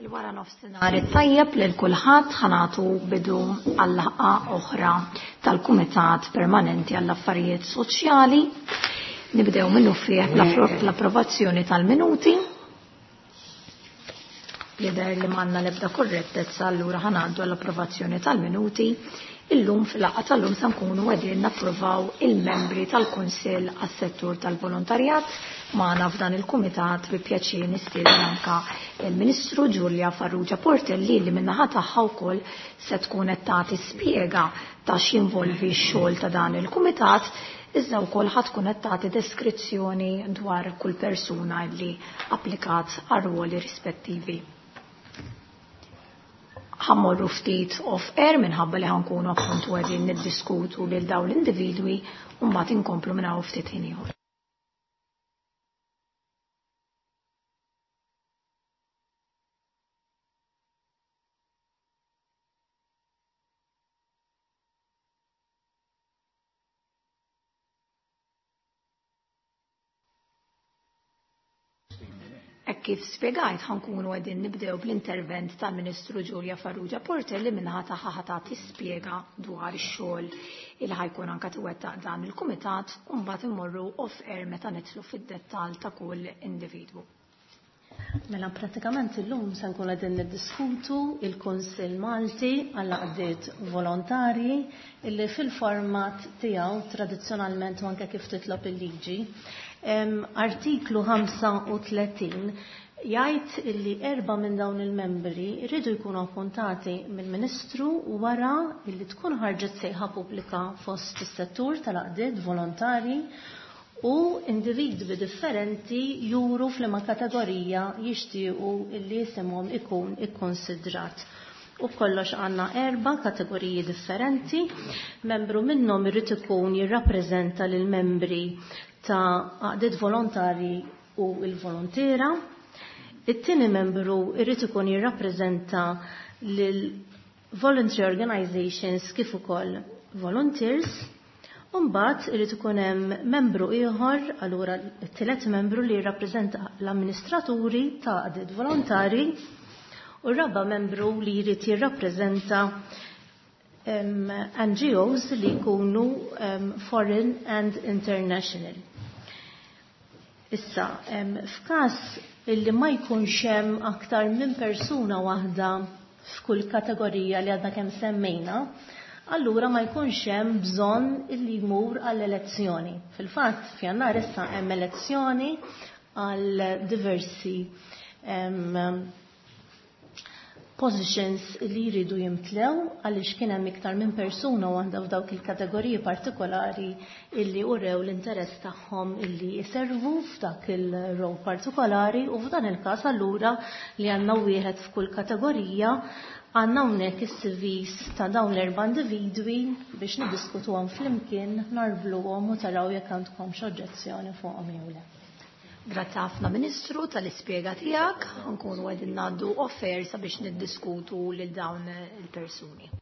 Il-wara nofsinhar it-tajjeb lil kulħadd ħanatu bidu għal-laqgħa oħra tal-Kumitat Permanenti għall-Affarijiet Soċjali. Nibdew minnu fih l-approvazzjoni tal-minuti. Jidher li m'għandna l-ebda korrettezza allura ħanaddu għall-approvazzjoni tal-minuti. Illum fil-laqgħa tal-lum se nkunu qegħdin napprovaw il-membri tal-Kunsill għas-settur tal-volontarjat magħna f'dan il-kumitat bi pjaċir nistieden anka il-Ministru Giulia Farrugia Portelli li min-naħa tagħha wkoll se tkun qed tagħti spjega ta' x'jinvolvi x-xogħol ta' dan il-kumitat iżda wkoll ħa tkun qed tagħti deskrizzjoni dwar kull persuna li applikat għar-ruoli rispettivi. Ħammorru ftit off air minħabba li ħankunu appuntu qegħdin niddiskutu lil dawn l-individwi u mbagħad inkomplu minn hawn ftit ħin ieħor. Hekk kif spjegajt ħankunu qegħdin nibdew bl-intervent tal-Ministru Giulia Farrugia Portelli minnaħa tagħha ħa tagħti spjega dwar ix-xogħol il ħajkun anka tiwettaq dan il-kumitat u mbagħad immorru off air meta nidħlu fid-dettall ta' kull individwu. Mela pratikament illum se nkun qegħdin niddiskutu il-Kunsill Malti għal għaqdiet volontarji illi fil-format tiegħu tradizzjonalment u anke kif titlob il-liġi. Artiklu 35 jgħid illi erba' minn dawn il-membri jridu jkunu appuntati mill-Ministru wara illi tkun ħarġet sejħa pubblika fost is-settur tal-għaqdiet volontarji u individwi differenti juru f'liema kategorija jixtiequ illi isimhom ikun ikkonsidrat. U b'kollox għandna erba' kategoriji differenti. Membru minnhom irid ikun jirrappreżenta lil membri ta' għaqdiet volontarji u l-volontiera. It-tieni membru irid ikun jirrappreżenta lil voluntary organizations kif ukoll volunteers. U mbagħad irid ikun hemm membru ieħor, allura t-tielet membru li jirrappreżenta l-amministraturi ta' għaqdiet volontarji u r-raba' membru li jrid jirrappreżenta NGOs li jkunu foreign and international. Issa, f'każ illi ma jkunx hemm aktar minn persuna waħda f'kull kategorija li għadna kemm semmejna, allura ma jkunx hemm bżonn illi jmur għall-elezzjoni. Fil-fatt, f'Jannar issa hemm elezzjoni għal diversi positions li jridu jimtlew għaliex kien hemm iktar minn persuna waħda f'dawk il-kategoriji partikolari illi urew l-interess tagħhom illi jservu f'dak il-role partikolari u f'dan il-każ allura li għandna wieħed f'kull kategorija għandna hawnhekk is-CVs ta' dawn l-erba' individwi biex niddiskutuhom flimkien, narbluhom u taraw jekk għandkomx oġġezzjoni fuqhom jew le. Grazzi ħafna Ministru tal-ispjega tiegħek, nkunu qegħdin ngħaddu off-air sabiex niddiskutu lil dawn il-persuni.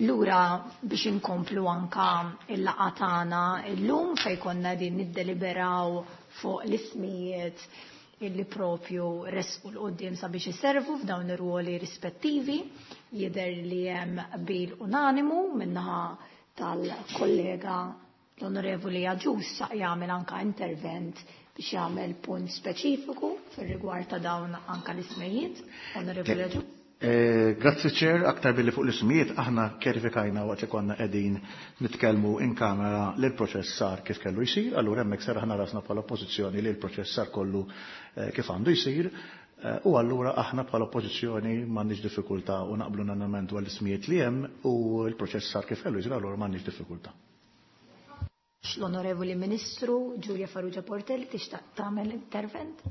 Lura biex inkomplu anka il-laqgħa tagħna llum fejn konna din niddeliberaw fuq l-ismijiet illi propju resqu l-qoddim sabiex iservu f'dawn ir-ruoli rispettivi. Jidher li hemm qbil unanimu minnaħa tal-kollega l-Onorevoli Agius jagħmel anka intervent biex jagħmel punt speċifiku fir-rigward ta' dawn anka l-ismijiet. Onorevoli Agius. Grazzi Chair, aktar billi fuq l-ismijiet aħna kjerifikajna waqt li konna qegħdin nitkellmu in kamera li l-proċess sar kif kellu jsir, allura hemmhekk serraħna rasna bħala oppożizzjoni li l-proċess sar kollu kif għandu jsir, u allura aħna bħala oppożizzjoni m'għandniex diffikultà u naqblu unanimament dwar l-ismijiet li hemm u l-proċess sar kif kellu jsir, allura m'għandniex diffikultà. L-Onorevoli Ministru Giulia Farrugia Portelli tixtaq tagħmel intervent?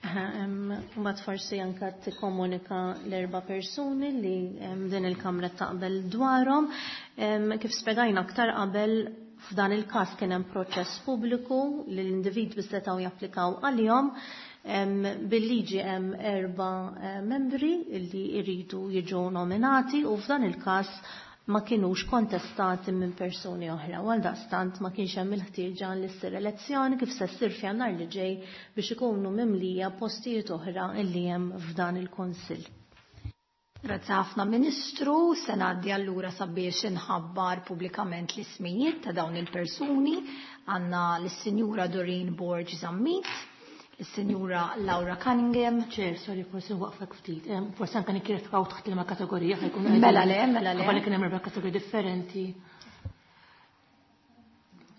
Mbagħad forsi anke tikkomunika l-erba' persuni li din il-Kamra taqbel dwarhom. Kif spjegajna aktar qabel, f'dan il-każ kien hemm proċess pubbliku li l-individwi setgħu japplikaw għalihom. Bil-liġi hemm 4 membri li jridu jiġu nominati u f'dan il-każ ma kienux kontestati minn persuni oħra. Għal daqstant ma kienx hemm il-ħtieġa li ssir elezzjoni kif se ssir f'Jannar li ġej biex ikunu mimlija postijiet oħra li hemm f'dan il-Kunsill. Grazzi ħafna Ministru, se ngħaddi allura sabiex inħabbar pubblikament l-ismijiet ta' dawn il-persuni. Għandna lis-Sinjura Doreen Borg Zammit, is-Sinjura Laura Cunningham. Chair, sorry, forsi waqfek ftit. Forsi anke nikkjerifikaw taħt liema kategorija ħajkun Mela le, mela le. Qabel kien hemm erba' kategoriji differenti.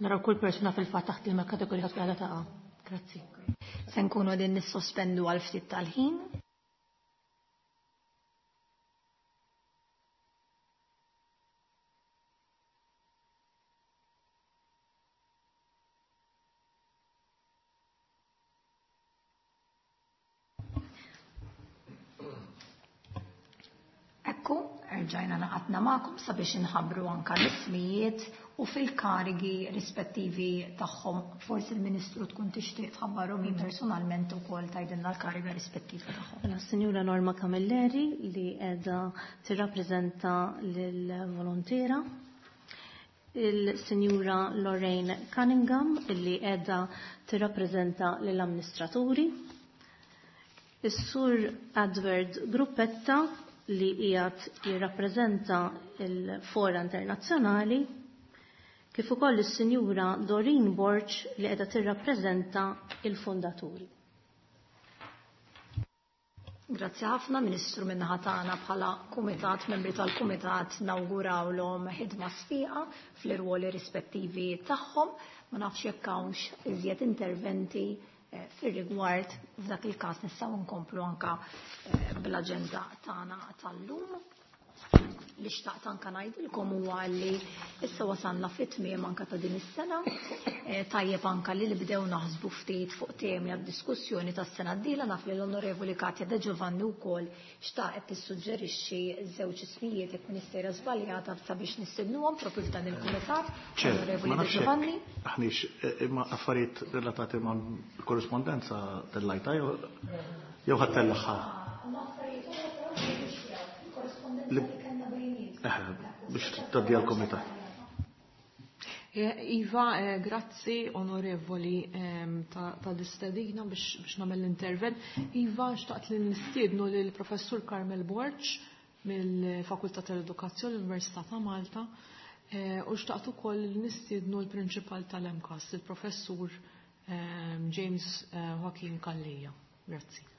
Naraw kull persuna fil-fatt taħt liema kategorija tkun qiegħda taqa'. Grazzi. Se nkunu qegħdin nissospendu għal ftit tal-ħin. Ekku, erġajna naqatna magħkom sabiex inħabbru anka l-ismijiet u fil-karigi rispettivi tagħhom. Forsi l-Ministru tkun tixtieq tħabbarhom hi personalment ukoll tgħidilna l-kariga rispettiva tagħhom. Mela, Sinjura Norma Camilleri li qiegħda tirrappreżenta lill-volontira, il-Sinjura Lorraine Cunningham li qiegħda tirrappreżenta lill-amministraturi, is-Sur Edward Gruppetta li qiegħed jirrappreżenta l-Fora Internazzjonali, kif ukoll is-Sinjura Doreen Borg li qiegħda tirrappreżenta il-fondaturi. Grazzi ħafna Ministru minnaħa tagħna bħala kumitat, membri tal-kumitat nawgurawlhom ħidma sfiqa fl-irwoli rispettivi tagħhom. Ma nafx jekk hawnx iżjed interventi fir-rigward f'dak il-każ nistgħu nkomplu anka bl-aġenda tagħna tal-lum. Li xtaqt anka ngħidilkom huwa li issa wasalna fit-tmiem anka ta' din is-sena. Tajjeb anka li nibdew naħsbu ftit fuq temi għad-diskussjoni tas-sena d-dieħla. Naf li l-Onorevoli Katja De Giovanni wkoll xtaqet tissuġġerixxi żewġ ismijiet jekk Ministera żbaljata sabiex nistednuhom propju f'dan il-kumitat. Ċer, Onorevoli ma De nafx hekk Giovanni. Aħniex imma affarijiet relatati ma' korrispondenza tal-lajta jew ħadd tellaħħa. Biex taddi għal-komitat. Iva, grazzi onorevoli tal-istedina biex nagħmel l-intervent. Iva, xtaqt li nistiednu lill-Professur Carmel Borg mill-Fakultà tal-Edukazzjoni l-Università ta' Malta, u xtaqt ukoll li nistiednu l-Prinċipal tal-MCAST, il-Professur James Joaquin Calleja. Grazzi.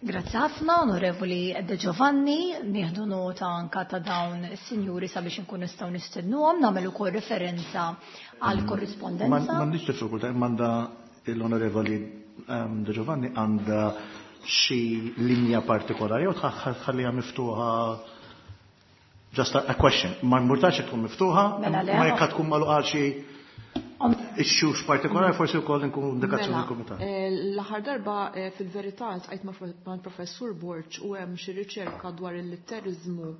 Grazzi ħafna, Onorevoli De Giovanni, nieħdu nota anka ta' dawn is-sinjuri sabiex inkun nistgħu nistednuhom, nagħmel ukoll referenza għal korrispondenza. M'għandix diffikultà, m'għandha l-Onorevoli De Giovanni għandha xi linja partikolari jew tħalliha miftuħa? Just a question. Ma murtax tkun miftuħa, Mela le. ma jekk tkun magħluqa xi issues partikolari, forsi wkoll inkunu indikazzjoni Mela, mill-kumitat. L-aħħar darba fil-verità ltqajt mal-Professur Borg u hemm xi riċerka dwar il-litterizmu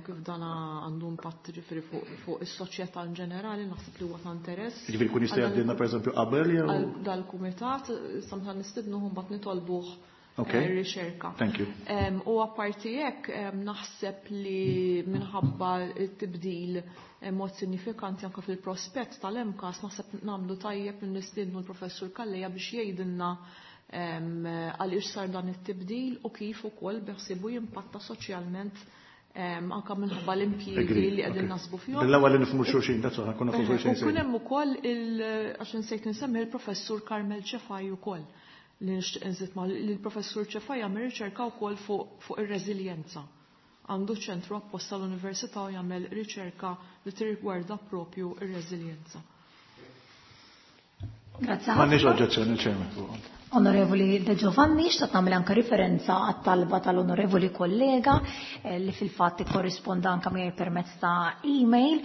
kif dan għandu impatt ġifieri fuq is-soċjetà in ġenerali, naħseb li huwa ta' interess. Ġifieri kun jista' jgħaddilna pereżempju qabel jew Għal dal-kumitat, samħan nistednuhom mbagħad nitolbuh Riċerka. Thank you. U apparti hekk naħseb li minħabba t-tibdil mod sinifikanti anke fil-prospett tal-MCAST, naħseb nagħmlu tajjeb li nistiednu l-Professur Calleja biex jgħidilna għaliex sar dan it-tibdil u kif ukoll beħsibu jimpatta soċjalment, anke minħabba l-impjiegi li qegħdin nasbu fihom. Bil-ewwel li nifhmu xulxin, that's all, nkunu nafu xulxin. U kun hemm ukoll għax insejt insemmi il-Professur Carmel Cefai ukoll, li nixtieq inżid ma' li l-Professur Cefai jagħmel riċerka wkoll fuq ir-reżiljenza. Għandu ċentru apposta l-Università u jagħmel riċerka li tirrigwarda propju ir-reżiljenza. Grazie. M'għandniex oġġezzjoni, Chairman. Onorevoli De Giovanni, xtaqt nagħmel anke referenza għat-talba tal-onorevoli kollega li fil-fatt ikkorrisponda anke miegħi permezz ta' email.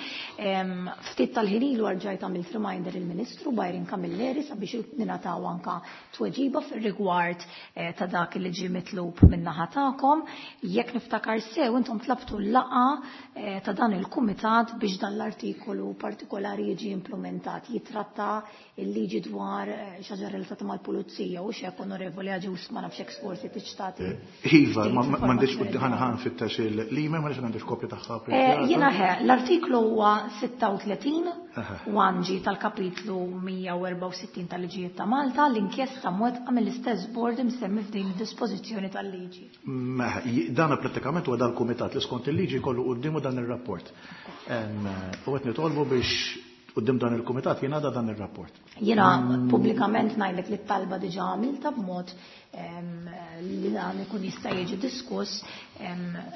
Ftit tal-ħin ilu rġajt għamilt reminder il-Ministru Byron Camilleri sabiex ningħataw anke tweġiba fir-rigward ta' dak li ġie mitlub min-naħa tagħkom. Jekk niftakar sew, intom tlabtu l-laqgħa ta' dan il-kumitat biex dan l-artikolu partikolari jiġi implementat, jitratta il-liġi dwar xi ħaġa relatata mal-pulizija u xek, Onorevoli Agius, ma nafx hekk forsi tiċtati. Iva, m'għandix ħana ħan fittax il-email, ma għandix kopja tagħha. Jiena ħe, l-artiklu huwa 36 1G tal-kapitlu 164 tal-liġijiet ta' Malta, l-inkjesta mwettqa mill-istess board imsemmi f'din id-dispożizzjoni tal-liġi. Dan prattikament huwa dal-kumitat li skont il-liġi kollu quddiemu dan ir-rapport. U qed nitolbu biex quddiem dan il-kumitat jingħada dan ir-rapport. Jiena pubblikament ngħidlek li t-talba diġà għamilta b'mod li dan ikun jista' jiġi diskuss,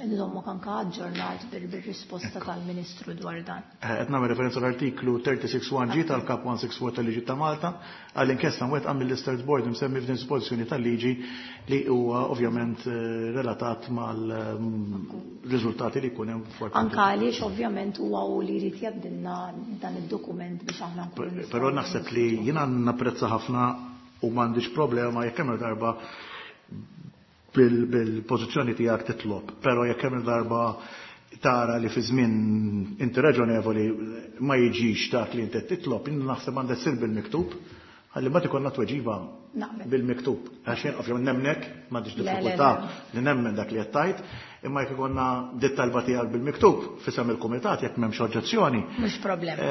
nżommok anke aġġornat bir-risposta tal-Ministru dwar dan. Qed nagħmel referenza l-artiklu 36.1 G tal-Kap 164 tal-Liġi ta' Malta għall-inkjesta mwettqa mill-Istess Board imsemmi f'din dispożizzjoni tal-liġi li huwa ovvjament relatat mal-riżultati li jkun hemm fuq. Anke għaliex ovvjament huwa hu li jrid jgħaddilna dan id-dokument biex aħna nkunu nistgħu. Però naħseb li jiena napprezza ħafna u m'għandix problema jekk hemm darba bil-pożizzjoni tiegħek titlob, però jekk hemm darba tara li fi żmien inti raġonevoli ma jiġix dak li inti titlob, jien naħseb għandek sir bil-miktub, ħalli mbagħad ikollna tweġiba bil-miktub. Għax jien ovvjament nemnek, m'għandix diffikultà li nemmen dak li qed tgħid, imma jekk ikollna dit talba tiegħek bil-miktub fisem il-kumitat jekk m'hemmx oġġezzjoni. Mhux problema.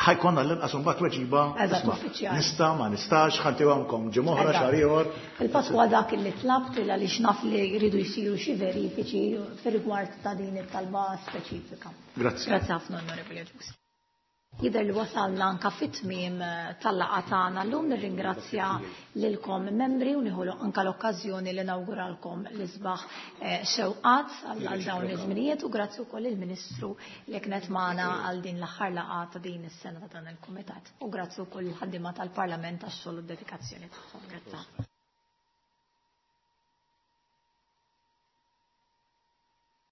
Ħajkonna l-inqas imbagħad tweġiba Eżatt, uffiċjali. Nista', ma nistax, ħantihomkom ġimgħa oħra, xahar ieħor. Il-pass huwa dak li tlabt għaliex naf li jridu jsiru xi verifiċi fir-rigward ta' din it-talba speċifika. Grazzi. Grazzi ħafna, Onorevoli Agius. Jidher li wasalna anka fit-tmiem tal-laqgħa tagħna llum. Nirringrazzja lilkom membri u nieħu anka l-okkażjoni li nawguralkom l-isbaħ xewqat għal dawn iż-żminijiet, u grazzi wkoll il-Ministru li kienet magħna għal din l-aħħar laqgħa ta' din is-sena ta' dan il-Kumitat. U grazzi wkoll il-ħaddiema tal-Parlament għax-xogħol u d-dedikazzjoni tagħhom. Grazzi.